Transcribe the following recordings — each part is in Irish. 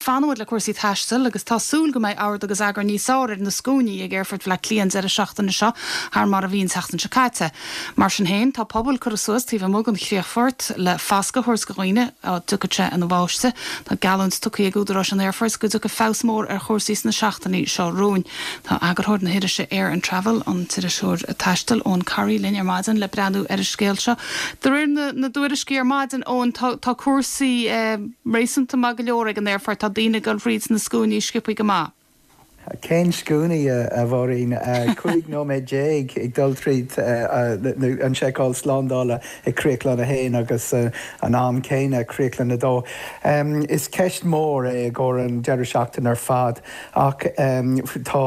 Fanfaidh muid le cúrsaí taistil agus tá súil go mbeidh ord agus eagar níos fearr ar na scuainí ag Aerfort Bhaile Átha Cliath an deireadh seachtaine seo thar mar a bhí an tseachtain seo caite. Mar sin féin, tá pubaill curtha suas taobh amuigh den chríochfort le fascadh a thabhairt do dhaoine dá dtiocfadh sé ina bháisteach. Tá geallúint tugtha ag údaráis an aerfoirt go dtiocfaidh feabhas mór ar chúrsaí sna seachtainí seo romhainn. Tá eagarthóir na hirise Air and Travel, an t-iriseoir taistil Eoin Corry linn ar maidin le breathnú ar an scéal seo. De réir na dtuairiscí ar maidin, Eoin, tá cúrsaí réasúnta maith go leor ag an aerfort, tá daoine ag dul thríd na scuainí sciobthaí go maith. Cén scuainí, a Mháirín? 15 nóiméad ag dul tríd an seiceáil slándála ag Críochlann 1 agus an am céanna ag Críochlann 2. Is ceist mhór é i gcomhair an deireadh seachtaine ar fad ach tá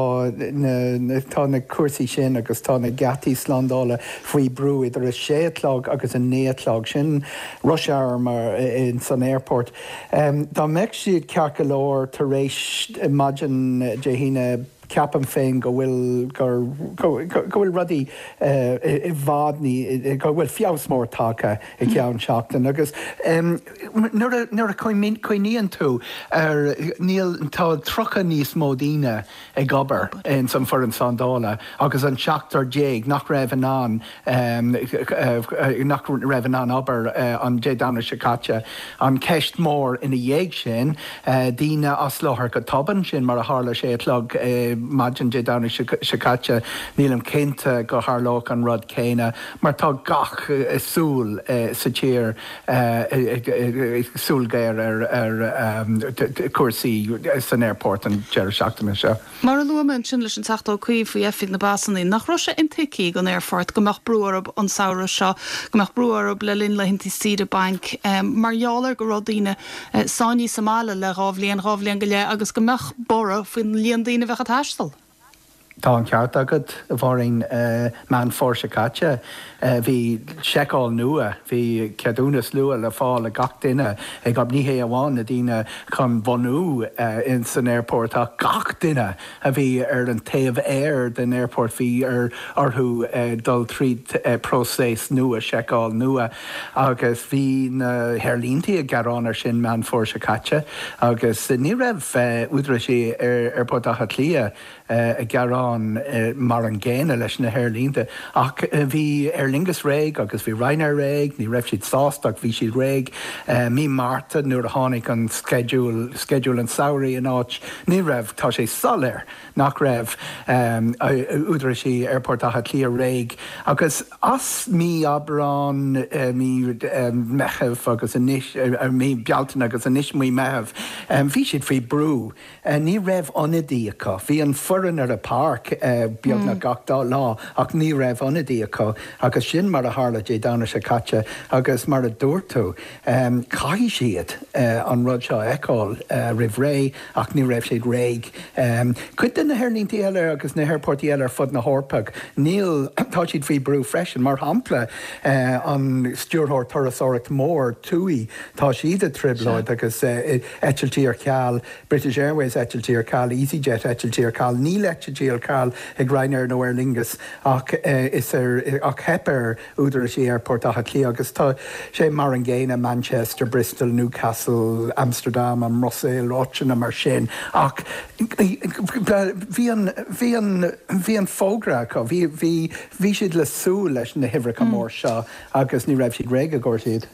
tá na cúrsaí sin agus tá na geataí slándála faoi brú idir a sé a chlog agus a naoi a chlog. Sin rush hour mar san aerfort. Dá mbeadh siad ceart go leor tar éis maidin Dé hAoine, ceapaim féin go bhfuil gur go bhfuil rudaí i bhfad ní go bhfuil feabhas mór tagtha i gceann seachtain agus nuair a nuair a cuimhníonn tú ar níl tá 30 níos mó daoine ag obair ins an foireann slándála agus an 17 nach raibh in ann nach raibh in ann obair an Dé Domhnaigh seo caite. An cheist mhór ina dhiaidh sin, daoine as láthair go tobann, sin mar a tharla sé a chlog maidin Dé Domhnaigh seo caite. Nílim cinnte go tharlódh an rud céanna mar tá gach súil sa tír, súil ghéar ar chúrsaí san aerfort an deireadh seachtaine seo. Mar a luaigh mé ansin leis an Teachta Ó Cuív faoi Oifig na bPasanna, nach raibh sé intuigthe ag an aerfort go mbeadh brú orthu an samhradh seo, go mbeadh brú orthu le linn laethanta saoire bainc, mar gheall ar go raibh daoine sáinnithe sa mbaile le dhá bhliain, dhá bhliain go leith agus go mbeadh borradh faoin líon daoine a bheadh ag taisteal? Tá an ceart agat, a Mháirín. Meán Fómhair seo caite, bhí seiceáil nua, bhí ceadúnas nua le fáil ag gach duine ag, ní hé amháin na daoine chun bunú san aerfort ach gach duine a bhí ar an taobh aeir den aerfort, bhí ar orthu dul tríd próiseas nua, seiceáil nua agus bhí na haerlínte ag gearán ar sin Meán Fómhair seo caite agus ní raibh údaráis Aerfort Átha Cliath ag gearán mar an gcéanna leis na haerlínte. Ach bhí Aer Lingus réidh agus bhí Ryanair réidh, ní raibh siad sásta ach bhí siad réidh. Mí Márta nuair a tháinig an sceideal, sceideal an tsamhraidh in áit, ní raibh, tá sé soiléir nach raibh údaráis Aerfort Átha Cliath réidh agus as mí Aibreán, mí Meitheamh agus anois, mí Bealtaine agus anois mí Meitheamh, bhí siad faoi brú. Ní raibh ionadaí acu. Bhí an foireann ar an bpáirc beagnach gach dá lá ach ní raibh ionadaí acu agus sin mar a tharla Dé Domhnaigh seo caite agus mar a dúirt tú, caithfidh siad an rud seo a fheiceáil roimh ré ach ní raibh siad réidh. Cuid de na haerlínte eile agus na haerfoirt eile ar fud na hEorpa, níl, tá siad faoi brú freisin. Mar shampla, an stiúrthóir turasóireacht mór, TUI, tá siad i dtrioblóid agus eitiltí ar ceal, British Airways eitiltí ar ceal, easyJet eitiltí ar ceal, níl eitiltí ar ceal ag Ryanair nó Aer Lingus ach is ar ach theip ar údaráis Aerfort Átha Cliath agus tá sé mar an gcéanna Manchester, Bristol, Newcastle, Amsterdam, an mBruiséil, áiteanna mar sin ach bhí an bhí an bhí an fógra acu, bhí bhí bhí siad le súil leis na huimhreacha mór seo agus ní raibh siad réidh i gcomhair siad.